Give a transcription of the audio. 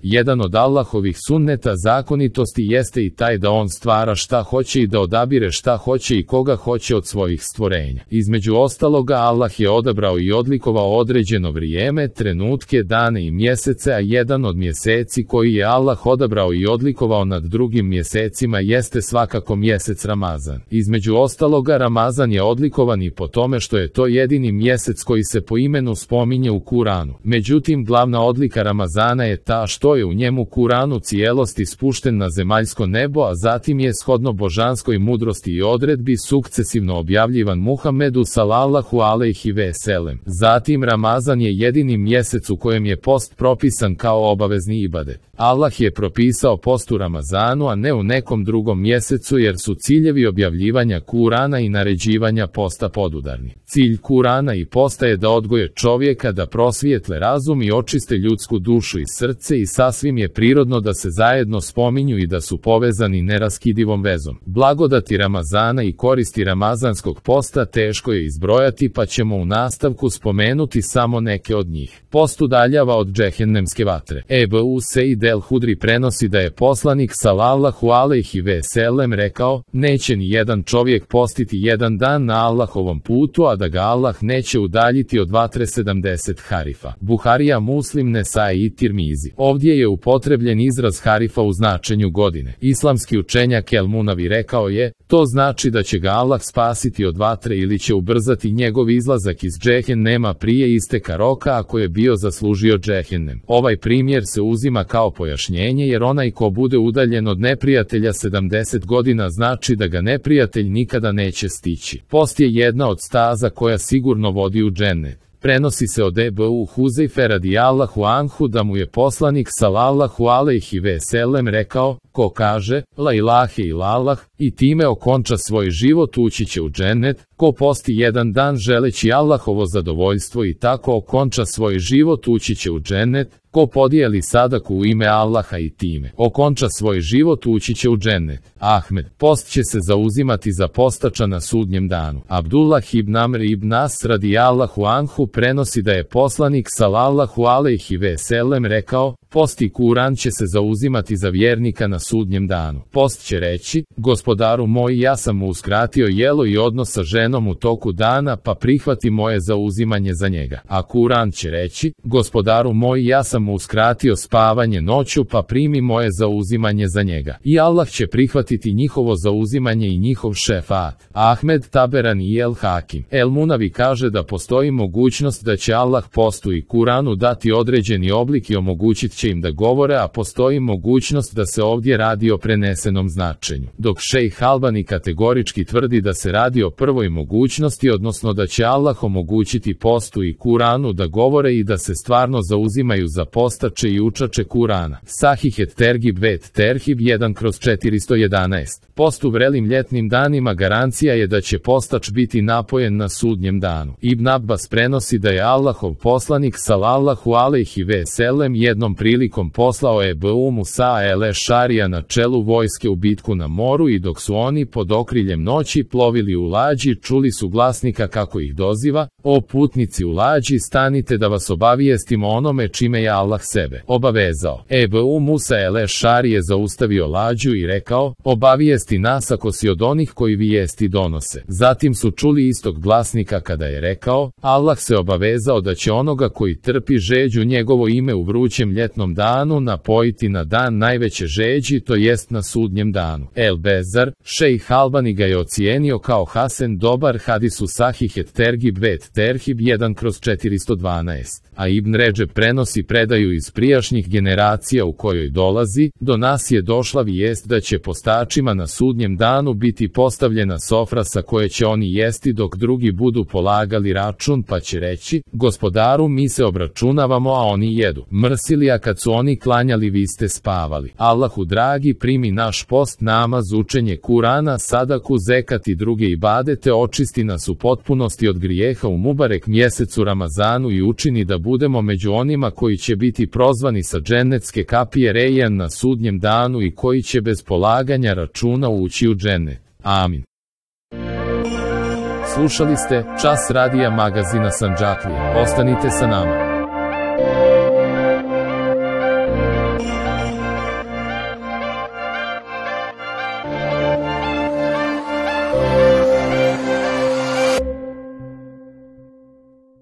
Jedan od Allahovih sunneta zakonitosti jeste i taj da on stvara šta hoće i da odabire šta hoće i koga hoće od svojih stvorenja. Između ostaloga, Allah je odabrao i odlikovao određeno vrijeme, trenutke, dane i mjesece, a jedan od mjeseci koji je Allah odabrao i odlikovao nad drugim mjesecima jeste svakako mjesec Ramazan. Između ostaloga, Ramazan je odlikovan i po tome što je to jedini mjesec koji se po imenu spominje u Kuranu. Međutim, glavna odlika Ramazana je ta što je u njemu Kuran u cijelosti spušten na zemaljsko nebo, a zatim je shodno božanskoj mudrosti i odredbi sukcesivno objavljivan Muhammedu sallallahu alejhi ve sellem. Zatim, Ramazan je jedini mjesec u kojem je post propisan kao obavezni ibadet. Allah je propisao post u Ramazanu, a ne u nekom drugom mjesecu, jer su ciljevi objavljivanja Kurana i naređivanja posta podudarni. Cilj Kurana i posta je da odgoje čovjeka, da prosvijetle razum i očiste ljudsku dušu i srce, i sasvim je prirodno da se zajedno spominju i da su povezani neraskidivom vezom. Blagodati Ramazana i koristi ramazanskog posta teško je izbrojati, pa ćemo u nastavku spomenuti samo neke od njih. Post udaljava od džehennemske vatre. Ebu Seid el-Hudri prenosi da je poslanik sallallahu alejhi ve sellem rekao: neće ni jedan čovjek postiti jedan dan na Allahovom putu, a da ga Allah neće udaljiti od vatre 70 harifa. Buharija, Muslim, Nesai i Tirmizi. Ovdje je upotrebljen izraz harifa u značenju godine. Islamski učenjak El-Munavi rekao je: to znači da će ga Allah spasiti od vatre ili će ubrzati njegov izlazak iz džehennema prije isteka roka ako je bio zaslužio džehennem. Ovaj primjer se uzima kao pojašnjenje, jer onaj ko bude udaljen od neprijatelja 70 godina znači da ga neprijatelj nikada neće stići. Post je jedna od staza koja sigurno vodi u džennet. Prenosi se od Ebu Huzeife radijallahu anhu da mu je poslanik sallallahu alejhi ve sellem rekao: ko kaže la ilahe illallah i time okonča svoj život, ući će u džennet. Ko posti jedan dan želeći Allahovo zadovoljstvo i tako okonča svoj život, ući će u džennet. Ko podijeli sadaku u ime Allaha i time okonča svoj život, ući će u džennet. Ahmed. Post će se zauzimati za postača na sudnjem danu. Abdullah ibn Amr ibn As radijallahu anhu prenosi da je poslanik sallallahu alejhi ve sellem rekao: post i Kuran će se zauzimati za vjernika na sudnjem danu. Post će reći: gospodaru moj, ja sam mu uskratio jelo i odnos sa ženom u toku dana, pa prihvati moje zauzimanje za njega. A Kuran će reći: gospodaru moj, ja sam mu uskratio spavanje noću, pa primi moje zauzimanje za njega. I Allah će prihvatiti njihovo zauzimanje i njihov šefat. Ahmed, Taberani i El-Hakim. El-Munavi kaže da postoji mogućnost da će Allah postu i Kuranu dati određeni oblik i omogućit će im da govore, a postoji mogućnost da se ovdje radi o prenesenom značenju. Dok šejh Albani kategorički tvrdi da se radi o prvoj mogućnosti, odnosno da će Allah omogućiti postu i Kuranu da govore i da se stvarno zauzimaju za postače i učače Kurana. Sahih et Tergib vet Terhib 1/411. Post u vrelim ljetnim danima garancija je da će postač biti napojen na sudnjem danu. Ibn Abbas prenosi da je Allahov poslanik sallallahu alejhi ve sellem jednom prilikom poslao Ebu Musa el-Ešarija na čelu vojske u bitku na moru, i dok su oni pod okriljem noći plovili u lađi, čuli su glasnika kako ih doziva: o putnici u lađi, stanite da vas obavijestimo onome čime je Allah sebe obavezao. Ebu Musa el-Ešari je zaustavio lađu i rekao: obavijesti nas ako si od onih koji vijesti donose. Zatim su čuli istog glasnika kada je rekao: Allah se obavezao da će onoga koji trpi žeđu njegovo ime u vrućem ljetnom danu napojiti na dan najveće žeđi, to jest na sudnjem danu. El Bezar, šejh Albani ga je ocijenio kao hasen, dobar hadis u Sahih et Tergib vet Terhib 1/412. A Ibn Redžeb prenosi predaju iz prijašnjih generacija u kojoj dolazi: do nas je došla vijest da će postačima na sudnjem danu biti postavljena sofra sa koje će oni jesti dok drugi budu polagali račun, pa će reći: gospodaru, mi se obračunavamo, a oni jedu. Mrsili, a kad su oni klanjali, vi ste spavali. Allahu dragi, primi naš post, namaz, učenje Kurana, sadaku, zekat i druge ibadete, očisti nas u potpunosti od grijeha u mubarek mjesecu Ramazanu i učini da budemo među onima koji će biti prozvani sa džennetske kapije Rejjan na sudnjem danu i koji će bez polaganja računa ući u džennet. Amin. Slušali ste Čas radija magazina Sandžaklija. Ostanite sa nama.